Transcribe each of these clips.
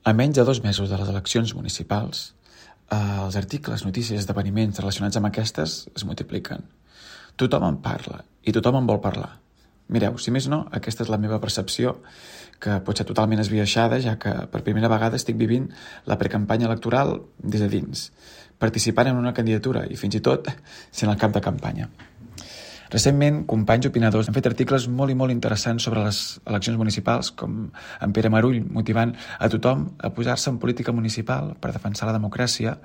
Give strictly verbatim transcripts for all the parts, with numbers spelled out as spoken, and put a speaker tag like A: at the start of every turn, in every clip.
A: A menys de dos mesos de les eleccions municipals, eh, els articles, notícies, esdeveniments relacionats amb aquestes es multipliquen. Tothom en parla i tothom en vol parlar. Mireu, si més no, aquesta és la meva percepció, que pot ser totalment esbiaixada, ja que per primera vegada estic vivint la precampanya electoral des de dins, participant en una candidatura i fins i tot sent el cap de campanya. Recentment, companys opinadors han fet articles molt i molt interessants sobre les eleccions municipals, com en Pere Marull motivant a tothom a posar-se en política municipal per defensar la democràcia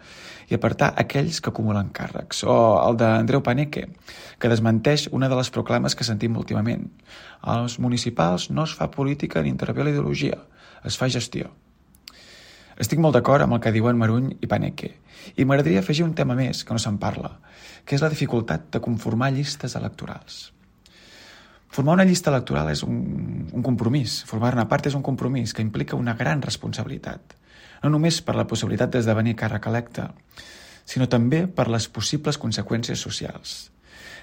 A: i apartar aquells que acumulen càrrecs, o el d'Andreu Paneque, que desmenteix una de les proclames que sentim últimament. Als municipals no es fa política ni intervé la ideologia, es fa gestió. Estic molt d'acord amb el que diuen Marull i Paneque, i m'agradaria afegir un tema més que no se'n parla, que és la dificultat de conformar llistes electorals. Formar una llista electoral és un, un compromís, formar-ne part és un compromís que implica una gran responsabilitat, no només per la possibilitat d'esdevenir càrrec electe, sinó també per les possibles conseqüències socials.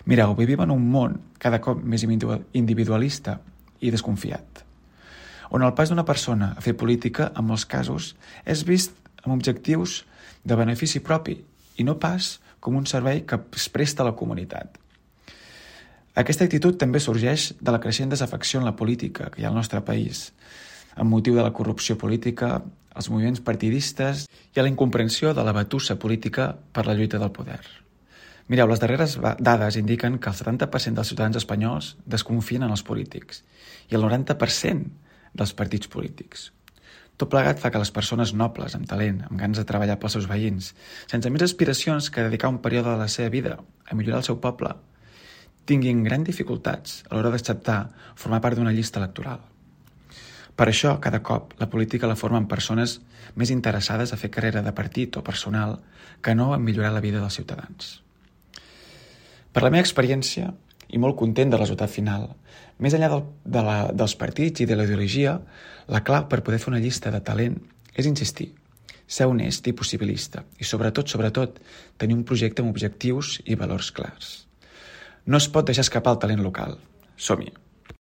A: Mireu, vivim en un món cada cop més individualista i desconfiat, on el pas d'una persona a fer política, en molts casos, és vist amb objectius de benefici propi i no pas com un servei que es presta a la comunitat. Aquesta actitud també sorgeix de la creixent desafecció en la política que hi ha al nostre país, amb motiu de la corrupció política, els moviments partidistes i a la incomprensió de la batussa política per la lluita del poder. Mireu, les darreres dades indiquen que el setanta per cent dels ciutadans espanyols desconfien en els polítics i el noranta per cent dels partits polítics. Tot plegat fa que les persones nobles, amb talent, amb ganes de treballar pels seus veïns, sense més aspiracions que dedicar un període de la seva vida a millorar el seu poble, tinguin grans dificultats a l'hora d'acceptar formar part d'una llista electoral. Per això, cada cop, la política la formen persones més interessades a fer carrera de partit o personal que no en millorar la vida dels ciutadans. Per la meva experiència, i molt content del resultat final, més enllà del, de la, dels partits i de la ideologia, la clau per poder fer una llista de talent és insistir, ser honest i possibilista i, sobretot, sobretot, tenir un projecte amb objectius i valors clars. No es pot deixar escapar el talent local. Som-hi!